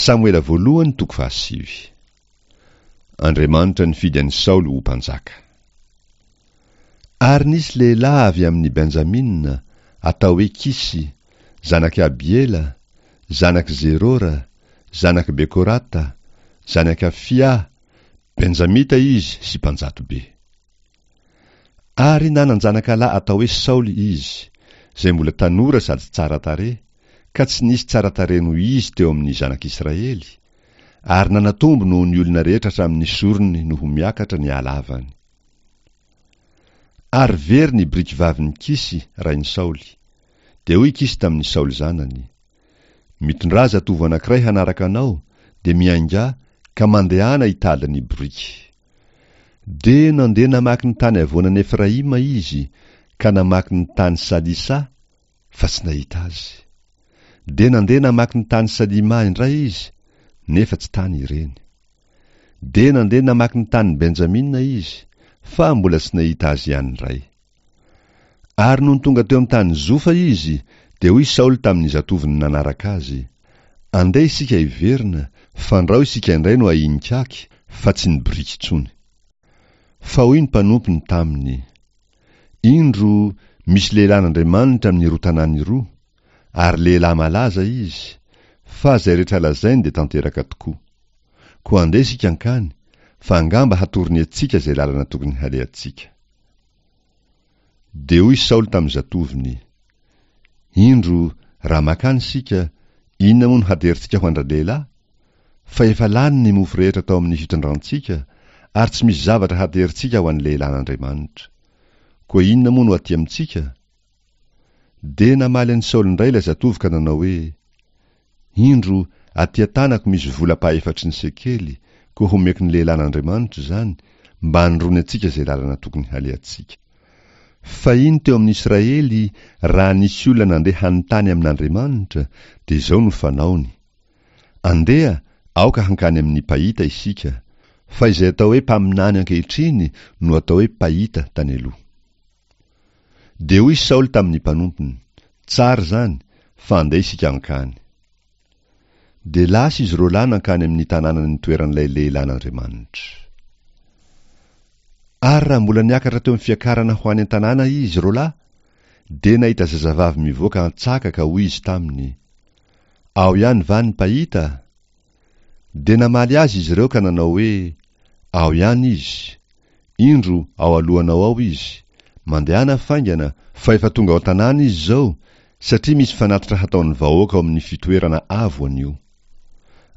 Samoela voalohany toko fahasivy. Andriamanitra nifidy an'i Saoly ho mpanjaka. Ary nisy lehilahy avy amin'i Benjamina, atao hoe Kisy, zanak'i Abiela, zanak'i Zerora, zanak'i Bekorata, zanak'i Afia, Benjamita izy sy mpanjato be. Ary nanan-janakalahy atao hoe Saoly izy, izay mbola tanora sady tsara tarehy, ka tsy nisy tsara tarehy noho izy teo amin'ny zanak'Israely, ary nanatombo noho ny olona rehetra hatramin'ny sorony no ho miakatra ny halavany. Ary very ny birikivavin'i Kisy, rain'i Saoly. Dia hoy Kisy tamin'i Saoly zanany, Mitondrà zatovo anankiray hanaraka anao, dia miaingà, ka mandehana hitady ny biriky. Dia nandeha namaky ny tany havoanan'i Efraima izy, ka namaky ny tany Salisa, fa tsy nahita azy. Dia nandeha namaky ny tany Salima indray izy, nefa tsy tany ireny. Dia nandeha namaky ny tanin'i Benjamina izy, fa mbola tsy nahita azy ihany indray. Ary nony tonga teo amin'ny tany Zofa izy, dia hoy Saoly tamin'ny zatovony nanaraka azy, Andeha isika hiverina, fandrao isika indray no ahiankaky, fa tsy ny biriky intsony. Fa hoy ny mpanompony taminy, Indro, misy lehilahin'Andriamanitra amin'iroa tanàna iroa, ary lehilahy malaza izy, fa izay rehetra lazainy dia tanteraka tokoa. Koa andeha isika hankany, fa angamba hatorony antsika izay lalana tokony halehantsika. Dia hoy Saoly tamin'ny zatovony, Indro, raha mankany isika, inona moa no haterintsika ho an-dralehilahy? Fa efa lany ny mofo rehetra tao amin'ny fitondrantsika, ary tsy misy zavatra haterintsika ho an'ny lehilahin'Andriamanitra. Koa inona moa no aty amintsika? Dia namaly an'i Saoly indray ilay zatovo ka nanao hoe, Indro, aty an-tanako misy vola ampahefatry ny sekely, koa homeko ny lehilahin'Andriamanitra izany, mba hanoroany antsika izay lalana tokony halehantsika. Fahiny teo amin'ny Israely, raha nisy olona nandeha hanontany amin'Andriamanitra, dia izao no fanaony, Andeha, aoka hankany amin'ny mpahita isika, fa izay atao hoe mpaminany ankehitriny no atao hoe mpahita tany aloha. Dia hoy Saoly tamin'ny mpanompony, Tsara izany, fa andeha isika hankany. Dia lasa izy roalahy nankany amin'ny tanàna nitoeran'ilay lehilahin'Andriamanitra. Ary raha mbola niakatra teo amin'ny fiakarana ho any an-tanàna izy roalahy, dia nahita zazavavy mivoaka an-tsaka ka hoy izy taminy, Ao ihany va ny mpahita? Dia namaly azy izy ireo ka nanao hoe, Ao ihany izy. Indro, ao alohanao ao izy. Mandehana faingana, fa efa tonga ao an-tanàna izy izao, satria misy fanatitra hataon'ny vahoaka ao amin'ny fitoerana avo anio.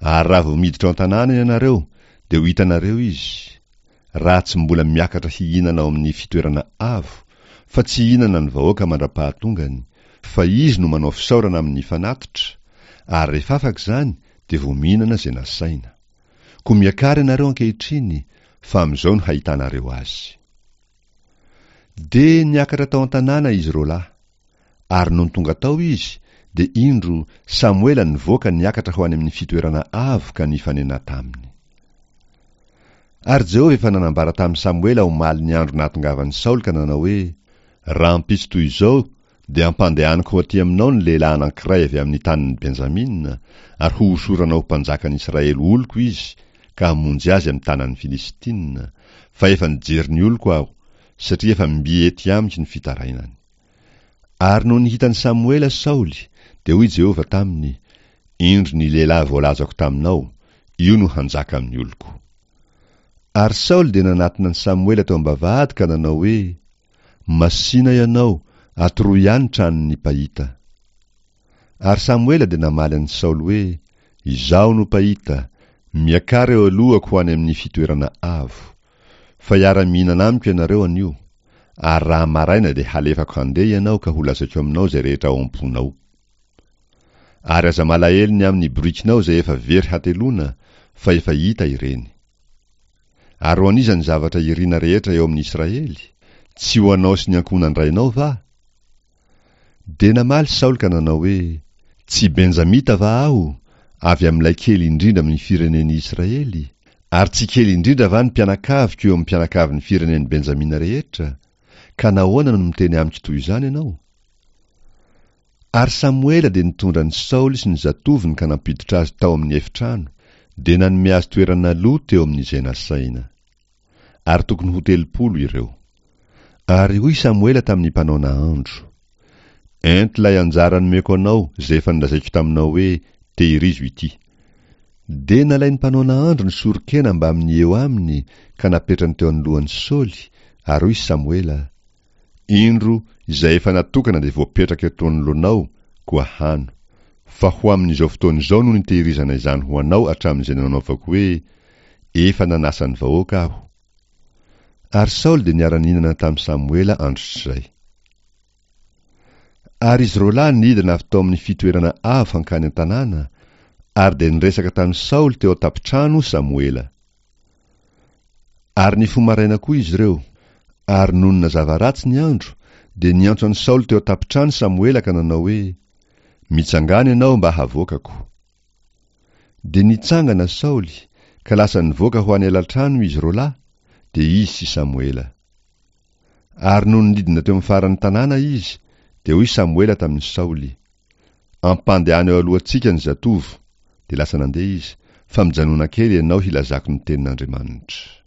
Ary raha vao miditra ao an-tanàna ianareo, dia ho hitanareo izy, raha tsy mbola miakatra hihinana ao amin'ny fitoerana avo, fa tsy hihinana ny vahoaka mandra-pahatongany, fa izy no manao fisaorana amin'ny fanatitra, ary rehefa afaka izany dia vao mihinana izay nasaina. Koa miakara ianareo ankehitriny, fa amin'izao no hahitanareo azy. Dia niakatra tao an-tanàna izy roalahy. Ary nony tonga tao izy, dia indro, Samoela nivoaka niakatra ho any amin'ny fitoerana avo ka nifanena taminy. Ary Jehovah efa nanambara tamin'i Samoela omaly ny andro nahatongavan'i Saoly ka nanao hoe, Rahampitso toy izao dia hampandehaniko ho aty aminao ny lehilahy anankiray avy amin'ny tanin'i Benjamina, ary hohosoranao ho mpanjakan'i Israely oloko izy, ka hamonjy azy amin'ny tanan'ny Filistina, fa efa nijery ny oloko aho, satria efa mby ety amiko ny fitarainany. Ary nony hitan'i Samoela Saoly, dia hoy Jehovah taminy, Indro ny lehilahy voalazako taminao, io no hanjaka amin'ny oloko. Ary Saoly dia nanatona an'i Samoela teo am-bavahady ka nanao hoe, Masìna ianao, atoroy ahy ny tranon'ny mpahita. Ary Samoela dia namaly an'i Saoly hoe, Izaho no mpahita, miakara eo alohako ho any amin'ny fitoerana avo. Fa hiara-mihinana amiko ianareo anio, ary raha maraina dia halefako handeha ianao ka holazaiko aminao izay rehetra ao am-ponao. Ary aza malahelo ny amin'ny borikinao izay efa very hateloana, fa efa hita ireny. Ary ho an'iza ny zavatra irina rehetra eo amin'ny Israely? Tsy ho anao sy ny ankohonan-drainao va? Dia namaly Saoly ka nanao hoe, Tsy Benjamita va aho, avy amin'ilay kely indrindra amin'ny firenen'i Israely? Ary tsy kely indrindra va ny mpianakaviko eo amin'ny mpianakavin'ny firenen'i Benjamina rehetra? Ka nahoana no miteny amiko toy izany ianao? Ary Samoela dia nitondra an'i Saoly sy ny zatovony ka nampiditra azy tao amin'ny efitrano, dia nanome azy toerana aloha teo amin'izay nasaina. Ary tokony ho 30 ireo. Ary hoy Samoela tamin'ny mpanao nahandro, Ento ilay anjara nomeko anao izay efa nolazaiko taminao hoe, Tehirizo ity. Dia nalain'ny mpanao nahandro ny soron-kena mbamin'ny eo aminy ka napetrany teo anoloan'i Saoly, ary hoy Samoela, Indro, izay efa natokana dia voapetraka eto anoloanao, koa hano. Fa ho amin'izao fotoana izao no nitehirizana izany ho anao hatramin'izay nanaovako hoe, Efa nanasa ny vahoaka aho. Ary Saoly dia niara-nihinana tamin'i Samoela androtrizay. Ary izy roalahy nidina avy tao amin'ny fitoerana avo hankany an-tanàna, ary dia niresaka tamin'i Saoly teo an-tampon-trano Samoela. Ary nifoha maraina koa izy ireo, ary nony nazava ratsy ny andro, dia niantso an'i Saoly teo an-tampon-trano Samoela ka nanao hoe, Mitsangàna ianao mba havoakako. Dia nitsangana Saoly, ka lasa nivoaka ho any alatrano izy roalahy, dia izy sy Samoela. Ary nony nidina teo amin'ny faran'ny tanàna izy, dia hoy Samoela tamin'i Saoly, Ampandehano eo alohantsika ny zatovo, dia lasa nandeha izy, fa mijanona kely ianao hilazako ny tenin'Andriamanitra.